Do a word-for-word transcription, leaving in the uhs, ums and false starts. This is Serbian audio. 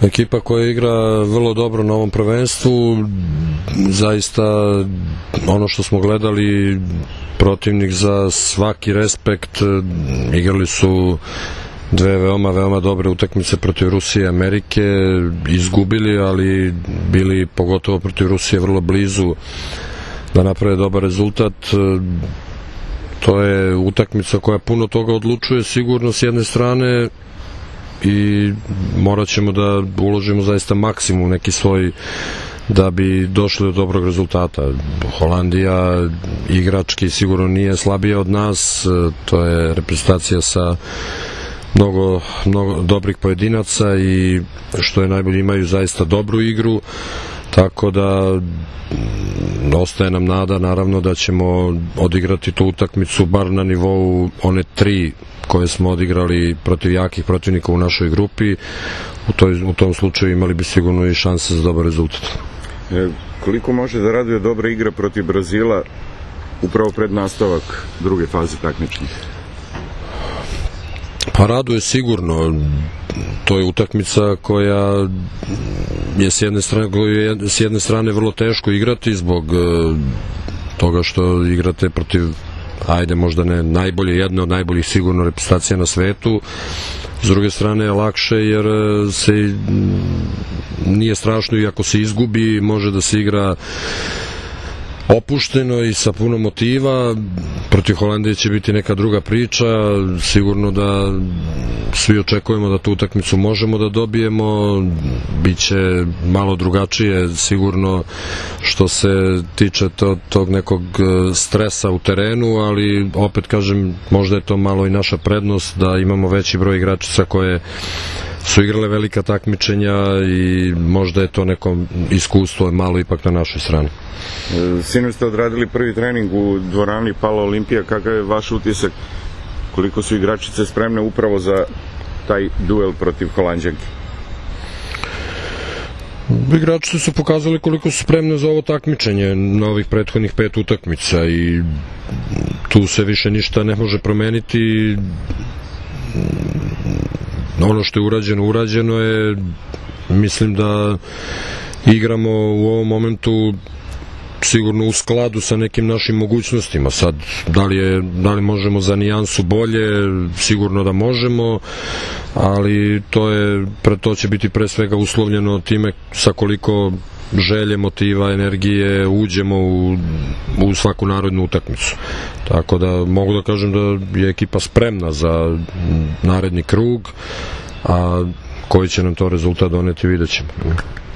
Ekipa koja igra vrlo dobro na ovom prvenstvu, zaista ono što smo gledali, protivnik za svaki respekt, igrali su dve veoma, veoma dobre utakmice protiv Rusije i Amerike, izgubili, ali bili pogotovo protiv Rusije vrlo blizu da naprave dobar rezultat. To je utakmica koja puno toga odlučuje sigurno s jedne strane i morat ćemo da uložimo zaista maksimum neki svoj da bi došli do dobrog rezultata. Holandija igrački sigurno nije slabija od nas, to je reprezentacija sa mnogo, mnogo dobrih pojedinaca i što je najbolje imaju zaista dobru igru, tako da ostaje nam nada naravno da ćemo odigrati tu utakmicu bar na nivou one tri koje smo odigrali protiv jakih protivnika u našoj grupi. U, toj, u tom slučaju imali bi sigurno i šanse za dobar rezultat. E, koliko može da raduje dobra igra protiv Brazila upravo pred nastavak druge faze takmičenja? Pa raduje sigurno. To je utakmica koja je s jedne strane, je s jedne strane vrlo teško igrati zbog toga što igrate protiv, ajde možda ne najbolje, jedne od najboljih sigurno reprezentacija na svetu. S druge strane je lakše jer se nije strašno i ako se izgubi može da se igra opušteno i sa puno motiva. Protiv Holandije će biti neka druga priča, sigurno da svi očekujemo da tu utakmicu možemo da dobijemo, biće malo drugačije sigurno što se tiče to, tog nekog stresa u terenu, ali opet kažem, možda je to malo i naša prednost da imamo veći broj igračica koje su igrale velika takmičenja i možda je to neko iskustvo malo ipak na našoj strani. Sinoć ste odradili prvi trening u dvorani Pala Olimpija, kakav je vaš utisak? Koliko su igračice spremne upravo za taj duel protiv Holanđanke? Igračice su pokazali koliko su spremne za ovo takmičenje na ovih prethodnih pet utakmica i tu se više ništa ne može promeniti. Ono što je urađeno, urađeno je. Mislim da igramo u ovom momentu sigurno u skladu sa nekim našim mogućnostima. Sad, da li, je, da li možemo za nijansu bolje, sigurno da možemo, ali to, je, to će biti pre svega uslovljeno time sa koliko želje, motiva, energije uđemo u, u svaku narodnu utakmicu. Tako da mogu da kažem da je ekipa spremna za naredni krug, a koji će nam to rezultat doneti vidjet ćemo.